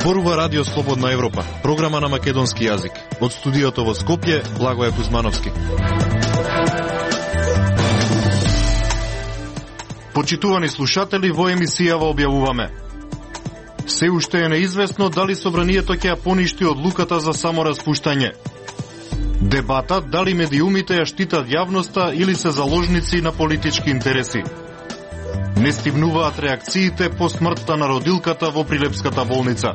Зборува Радио Слободна Европа, програма на македонски јазик. Од студиото во Скопје, Благоје Кузмановски. Почитувани слушатели, во емисијава објавуваме: се уште е неизвестно дали собранието ќе ја поништи одлуката за самораспуштање. Дебата дали медиумите ја штитат јавноста или се заложници на политички интереси. Не стивнуваат реакциите по смртта на родилката во Прилепската болница.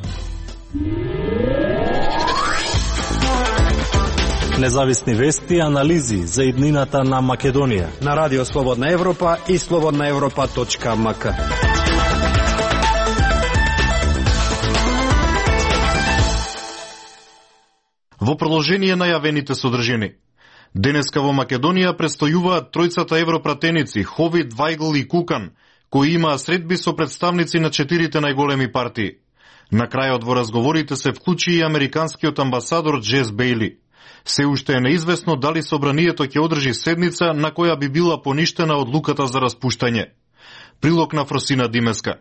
Независни вести и анализи за иднината на Македонија на Радио Слободна Европа и slobodnaevropa.mk. Во продолжение на јавените содржини. Денеска во Македонија престојуваат тројцата европратеници Ховид, Вајгл и Кукан, кои имаа средби со представници на 4 најголеми партии. На крајот во разговорите се вклучи и американскиот амбасадор Джес Бејли. Се уште е неизвестно дали собранието ќе одржи седница на која би била поништена одлуката за распуштање. Прилог на Фросина Димеска.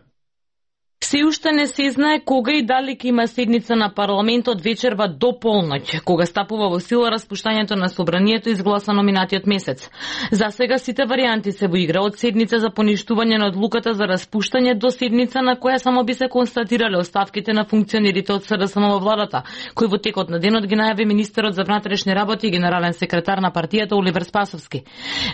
Се уште не се знае кога и дали ќе има седница на парламентот вечерва до полноќ, кога стапува во сила распуштањето на собранието изгласано минатиот месец. За сега сите варијанти се во игра, од седница за поништување на одлуката за распуштање до седница на која само би се констатирале оставките на функционерите од СДСМ во владата, кој во текот на денот ги најави министерот за внатрешни работи и генерален секретар на партијата Оливер Спасовски.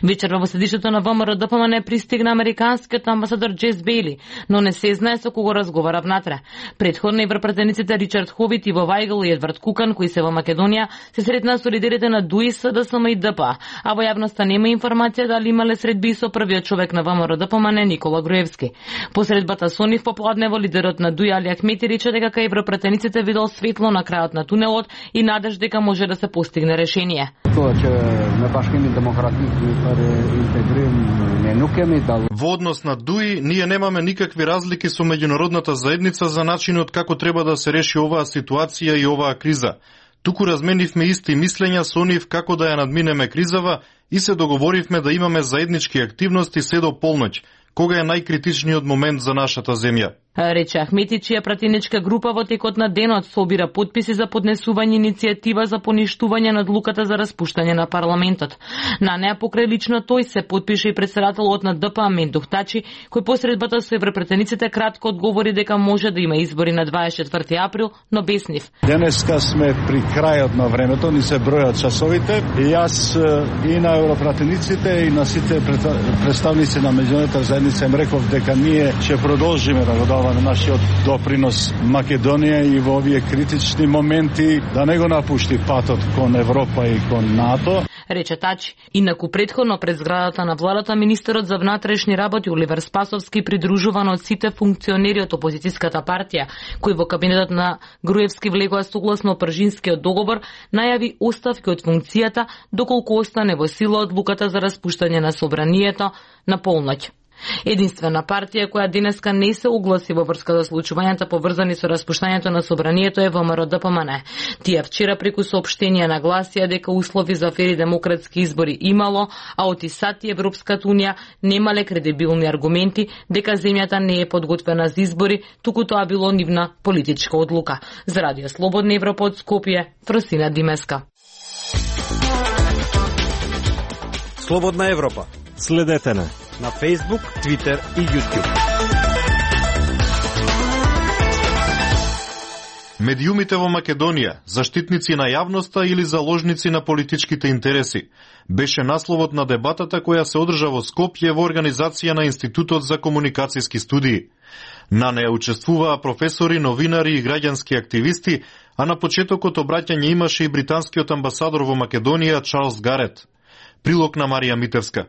Вечерва во седишето на ВМРО ДПМН пристигна американскиот амбасадор Джес Бејли, но не се знае со кого разговара внатре. Предходно европратениците Ричард Ховит, Иво Вајгл и Едвард Кукан, кои се во Македонија, се сретнаа со лидерите на ДУИ, СДСМ и ДП, а во јавноста нема информација дали имале средби со првиот човек на ВМРО ДПМН Никола Груевски. По средбата со нив попладнево лидерот на ДУИ Али Ахмети рече дека кај европратениците видел светло на крајот на тунелот и надеж дека може да се постигне решение. Во однос на ДУИ, ние немаме никакви разлики со меѓународната заедница за начинот како треба да се реши оваа ситуација и оваа криза. Туку разменивме исти мислења со нив како да ја надминеме кризава и се договоривме да имаме заеднички активности се до полноќ, кога е најкритичниот момент за нашата земја. Рече Ахмети, чија пратеничка група во текот на денот собира подписи за поднесување иницијатива за поништување на одлуката за распуштање на парламентот. На неа покрај лично тој се подпише и председателот на ДП Мендух Тачи, кој посредбата со европратениците кратко одговори дека може да има избори на 24 април, но без нив. Денеска сме при крајот на времето, ни се бројат часовите и јас и на европратениците и на сите представници на меѓународната заедница им реков дека ние ќе продолжиме да го даваме на нашиот допринос Македонија и во овие критични моменти да не го напушти патот кон Европа и кон НАТО. Рече Тачи. Инаку предходно пред зградата на владата министерот за внатрешни работи Оливер Спасовски, придружуван од сите функционери од опозицијската партија, кои во кабинетот на Груевски влегоа согласно Пржинскиот договор, најави оставки од функцијата доколку остане во сила одлуката за распуштање на собранието на полноќ. Единствена партија која денеска не се огласи во врска со случувањата поврзани со распуштањето на собранието е ВМРО ДПМН. Тие вчера преку соопштенија нагласија дека услови за фери демократски избори имало, а од ИСАТ и Европската унија немале кредибилни аргументи дека земјата не е подготвена за избори, туку тоа било нивна политичка одлука. За Радио Слободна Европа од Скопје, Фросина Димеска. Слободна Европа. Следете на Facebook, Twitter и YouTube. Медиумите во Македонија, заштитници на јавноста или заложници на политичките интереси, беше насловот на дебатата која се одржа во Скопје во организација на Институтот за комуникацијски студии. На неја учествуваа професори, новинари и граѓански активисти, а на почетокот обраќање имаше и британскиот амбасадор во Македонија Чарлс Гарет. Прилог на Марија Митевска.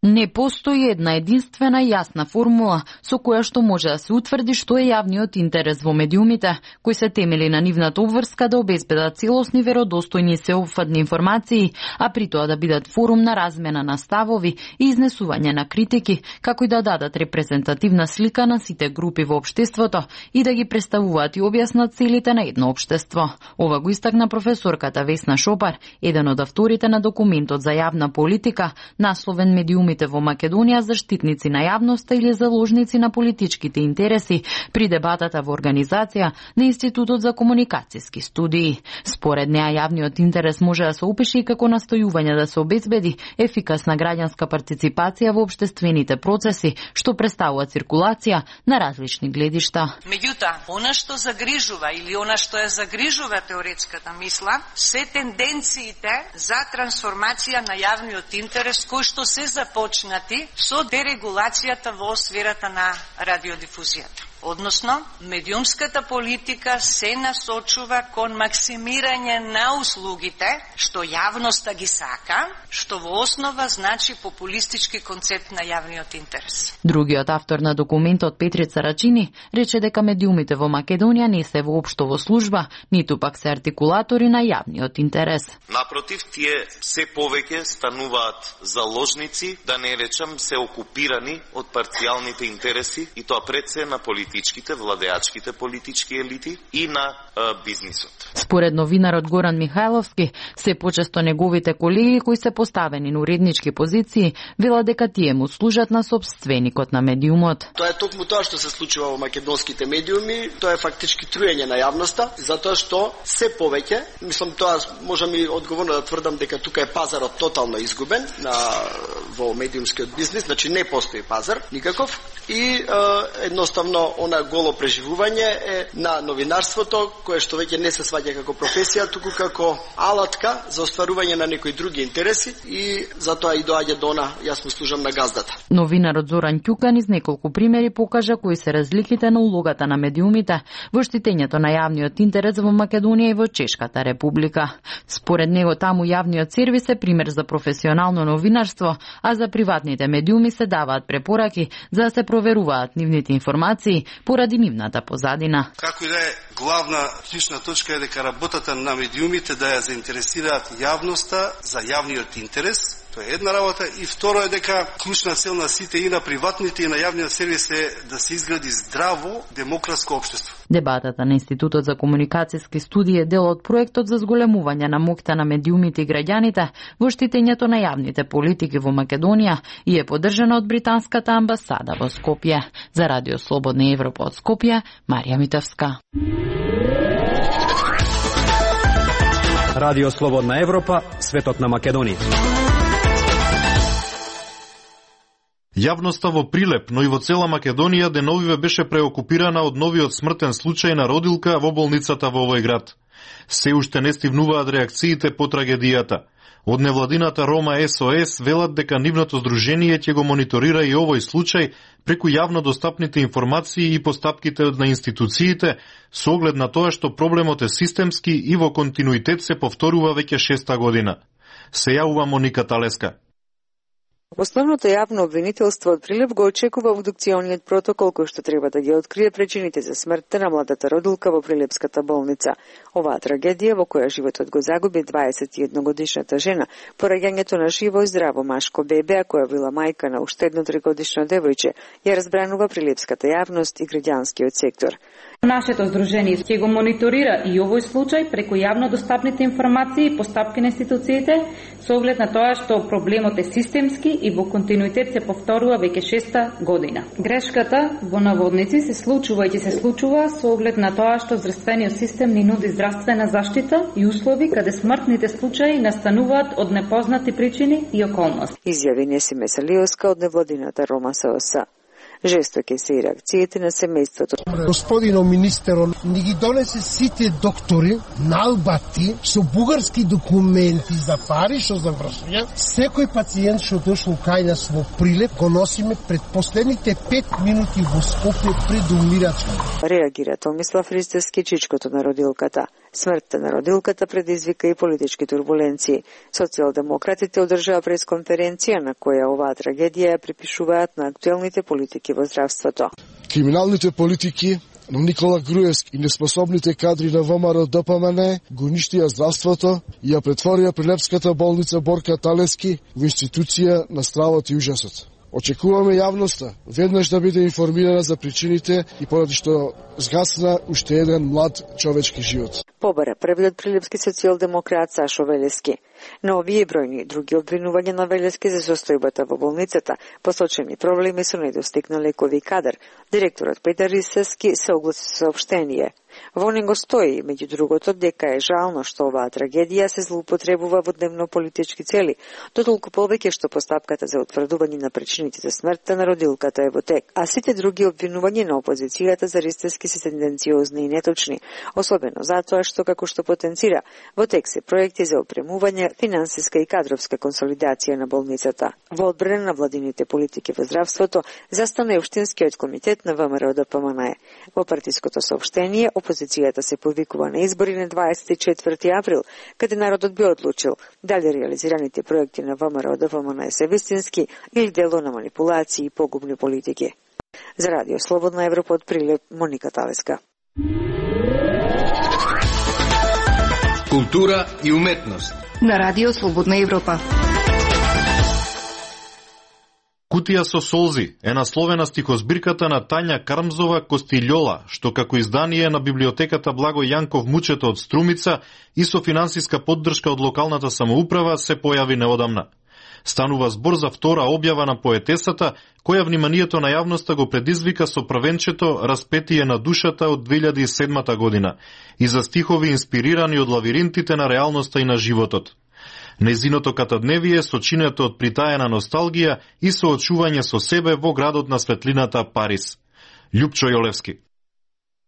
Не постои една единствена јасна формула со која што може да се утврди што е јавниот интерес во медиумите, кои се темели на нивната обврска да обезбедат целосни, веродостојни и сеопфатни информации, а при тоа да бидат форум на размена на ставови и изнесување на критики, како и да дадат репрезентативна слика на сите групи во општеството и да ги представуваат и објаснат целите на едно општество. Ова го истакна професорката Весна Шопар, еден од авторите на документот за јавна политика, насловен медиуми медиумите во Македонија заштитници на јавноста или заложници на политичките интереси при дебатата во организација на Институтот за комуникацијски студии. Според неа јавниот интерес може да се опише и како настојување да се обезбеди ефикасна граѓанска партиципација во општествените процеси, што представува циркулација на различни гледишта. Меѓутоа, она што загрижува или она што ја загрижува теоретската мисла, се тенденциите за трансформација на јавниот интерес кои што се започнати со дерегулацијата во сферата на радиодифузијата. Односно, медиумската политика се насочува кон максимирање на услугите, што јавноста ги сака, што во основа значи популистички концепт на јавниот интерес. Другиот автор на документот, Петрица Рачини, рече дека медиумите во Македонија не се воопшто во служба, ниту пак се артикулатори на јавниот интерес. Напротив, тие се повеќе стануваат заложници, да не речам се окупирани од парцијалните интереси, и тоа пред се на политичките, владеачките политички елити и на бизнисот. Според новинарот Горан Михајловски, се почесто неговите колеги кои се поставени на уреднички позиции велат дека тие му служат на сопственикот на медиумот. Тоа е токму тоа што се случува во македонските медиуми, тоа е фактички труење на јавноста, затоа што се повеќе, мислам тоа можам и одговорно да тврдам дека тука е пазарот тотално изгубен во медиумскиот бизнис, значи не постои пазар никаков и едноставно она голо преживување е на новинарството, кое што веќе не се сваќа како професија, туку како алатка за остварување на некои други интереси и затоа и доаѓа до она, јас му служам на газдата. Новинарот Зоран Ќукан из неколку примери покажа кои се разликите на улогата на медиумите во штитењето на јавниот интерес во Македонија и во Чешката република. Според него таму јавниот сервис е пример за професионално новинарство, а за приватните медиуми се даваат препораки за да се проверуваат нивните информации поради нивната позадина. Како и да е, главна клучна точка е дека работата на медиумите да ја заинтересираат јавноста за јавниот интерес. Тоа е една работа и второ е дека клучна цел на сите и на приватните и на јавниот сервис е да се изгради здраво демократско општество. Дебатата на Институтот за комуникацијски студии е дел од проектот за зголемување на моќта на медиумите и граѓаните во штитењето на јавните политики во Македонија и е поддржана од британската амбасада во Скопје. За Радио Слободна Европа од Скопје, Марија Митевска. Радио Слободна Европа, светот на Македонија. Јавноста во Прилеп, но и во цела Македонија деновиве беше преокупирана од новиот смртен случај на родилка во болницата во овој град. Се уште не стивнуваат реакциите по трагедијата. Од невладината Рома СОС велат дека нивното здружение ќе го мониторира и овој случај преку јавно достапните информации и постапките на институциите со оглед на тоа што проблемот е системски и во континуитет се повторува веќе 6-та година. Се јавува Моника Талеска. Основното јавно обвинителство од Прилеп го очекува обдукциониот протокол кој што треба да ги открие причините за смртта на младата родилка во Прилепската болница. Оваа трагедија во која животот го загуби 21-годишната жена, пораѓањето на живо и здраво машко бебе, а која била мајка на уште едно 3-годишно девојче, ја разбранува прилепската јавност и граѓанскиот сектор. Нашето здружение ќе го мониторира и овој случај преку јавно достапните информации и постапки на институциите со оглед на тоа што проблемот е системски и во континуитет се повторува веќе 6-та година. Грешката во наводници се случува и ќе се случува со оглед на тоа што здравствениот систем ни нуди здравствена заштита и услови каде смртните случаи настануваат од непознати причини и околности. Изјави Несиме Салиоска од невладината Рома СОС. Жестоки се и реакциите на семејството. Господино министеро, ни ги донесе сите доктори налбати со бугарски документи за пари што завршија. Секој пациент што дошло кај нас во Прилеп го носиме пред последните 5 минути во Скопје пред умирачка. Реагира Томислав Ристевски, чичкото на родилката. Смртта на родилката предизвика и политички турбуленции. Социјалдемократите одржаа пресконференција на која оваа трагедија ја припишуваат на актуелните политики во здравството. Криминалните политики на Никола Груевски и неспособните кадри на ВМРО ДПМН го уништија здравството и ја претворија Прилепската болница Борка Талески во институција на стравот и ужасот. Очекуваме јавноста веднаш да биде информирана за причините и поради што згасна уште еден млад човечки живот. Побара првиот прилепски социјалдемократ Сашо Велески. На овие бројни други обвинувања на Велески за состојбата во болницата, посочени проблеми со недостиг на лекови кадар. Директорот Петар Исески се огласи со соопштение. Во него стои, меѓу другото, дека е жално што оваа трагедија се злоупотребува во дневно-политички цели, дотолку повеќе што постапката за утврдување на причините за смртта на родилката е во тек, а сите други обвинувања на опозицијата за ристески се тенденциозни и неточни, особено затоа што, како што потенцира, во тек се проекти за опремување, финансиска и кадровска консолидација на болницата. Во одбрана на владините политики во здравството застана и Општинскиот комитет на ВМРО-ДПМНЕ. Во партиското соопштение, опозицијата се повикува на избори на 24 април, каде народот би одлучил дали реализираните проекти на ВМРО-ДПМНЕ се вистински или дело на манипулации и погубни политики. За Радио Слободна Европа од Прилеп, Моника Талеска. Култура и уметност на Радио Слободна Европа. Кутија со солзи е насловена стихозбирката на Тања Кармзова Костилјола, што како издание на библиотеката Благо Јанков Мучето од Струмица и со финансиска поддршка од локалната самоуправа се појави неодамна. Станува збор за втора објава на поетесата, која вниманието на јавноста го предизвика со првенчето Распетие на душата од 2007 година и за стихови инспирирани од лавиринтите на реалноста и на животот. Незиното катадневие сочинето од притаена носталгија и соочување со себе во градот на светлината Париз. Љупчо Јолевски.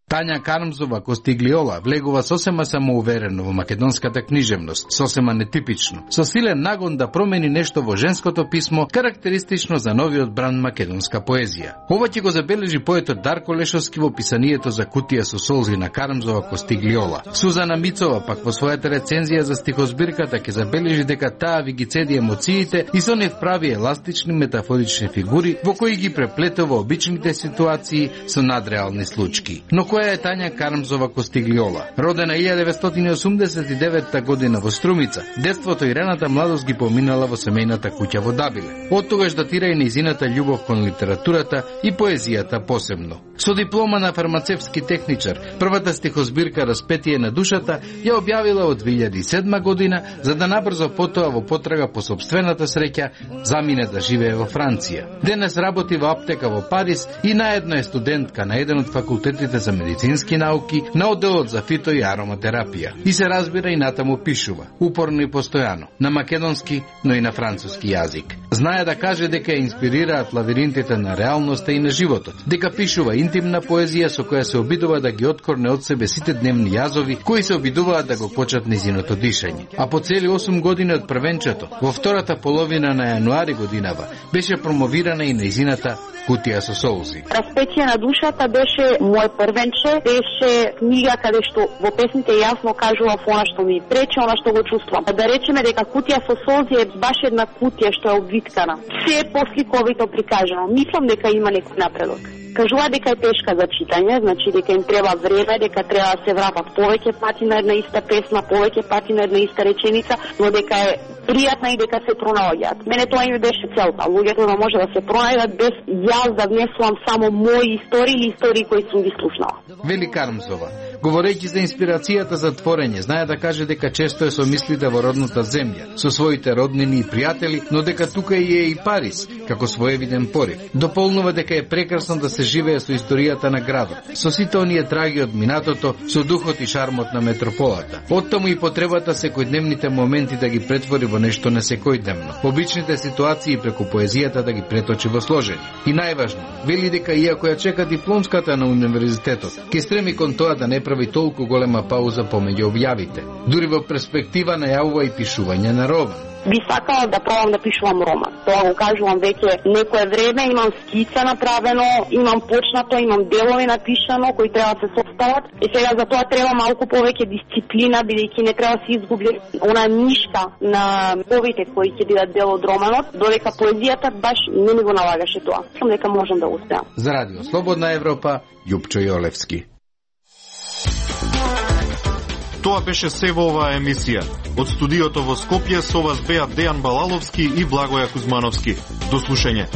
Тања Кармзова Костиглиола влегува сосема самоуверено во македонската книжевност, сосема нетипично, со силен нагон да промени нешто во женското писмо, карактеристично за новиот бран македонска поезија. Ова ќе го забележи поетот Дарко Лешовски во писанието за Кутија со солзи на Кармзова Костиглиола. Сузана Мицова пак во својата рецензија за стихозбирката ќе забележи дека таа ви ги цеди емоциите и со нив прави еластични метафорични фигури во кои ги преплетува обичните ситуации со надреални случаи. Но која е Тања Кармзова Костиглиола? Родена 1989 година во Струмица, детството и раната младост ги поминала во семејната куќа во Дабиле. Од тогаш датира и нејзината љубов кон литературата и поезијата посебно. Со диплома на фармацевски техничар, првата стихозбирка Распетие на душата ја објавила од 2007 година, за да набрзо потоа во потрага по собствената среќа замине да живее во Франција. Денес работи во аптека во Париз и наедно е студентка на еден од факултетите за медицински науки на одделот за фито и ароматерапија. И се разбира и натаму пишува, упорно и постојано, на македонски, но и на француски јазик. Знае да каже дека ја инспирираат лавиринтите на реалноста и на животот, дека пишува интимна поезија со која се обидува да ги откорне од себе сите дневни јазови кои се обидуваат да го почат низиното дишање. А по цели 8 години од првенчето, во втората половина на јануари годинава, беше промовирана и низината Кутија со солзи. Распетие на душата беше мој првенче, беше книга каде што во песните јасно кажува она што ми пречи, она што го чувствувам. Да речеме дека Кутија со солзи е баш една кутија што е обвиткана. Се е посликовито прикажано. Мислам дека има некој напредок. Кажува дека е тешка за читање, значи дека им треба време, дека треба да се вратат повеќе пати на една иста песна, повеќе пати на една иста реченица, но дека е пријатна и дека се пронаоѓаат. Мене тоа ми беше целта, луѓето да може да се пронајдат без јас да внесувам само мои истории или истории кои сум ги слушнала. Вели Кармзова, говорејќи за инспирацијата за творење, знае да каже дека често е со мислите во родната земја, со своите роднини и пријатели, но дека тука е и Париз, како своевиден порив. Дополнува дека е прекрасно да се живее со историјата на градот, со сите оние траги од минатото, со духот и шармот на метрополата. Оттаму и потребата секојдневните моменти да ги претвори во нешто несекојдневно, обичните ситуации преку поезијата да ги преточи во сложени. И најважно, вели дека иако ја чека дипломската на универзитетот, ќе стреми кон тоа да не прави толку голема пауза помеѓу објавите. Дури во перспектива најавува и пишување на роман. Би сакала да пробам да пишувам роман. Тоа го кажувам веќе некое време, имам скица направено, имам почнато, имам делови напишано кои треба да се состават. И сега за тоа треба малку повеќе дисциплина, бидејќи не треба да се изгуби она нишка на повите кои ќе бидат дел од романот, додека поезијата баш не ми го налагаше тоа. Мислам дека можам да успеам. За Радио Слободна Европа, Љупчо Јолевски. Тоа беше се во оваа емисија. Од студиото во Скопје со вас беа Дејан Балаловски и Благоја Кузмановски. До слушање.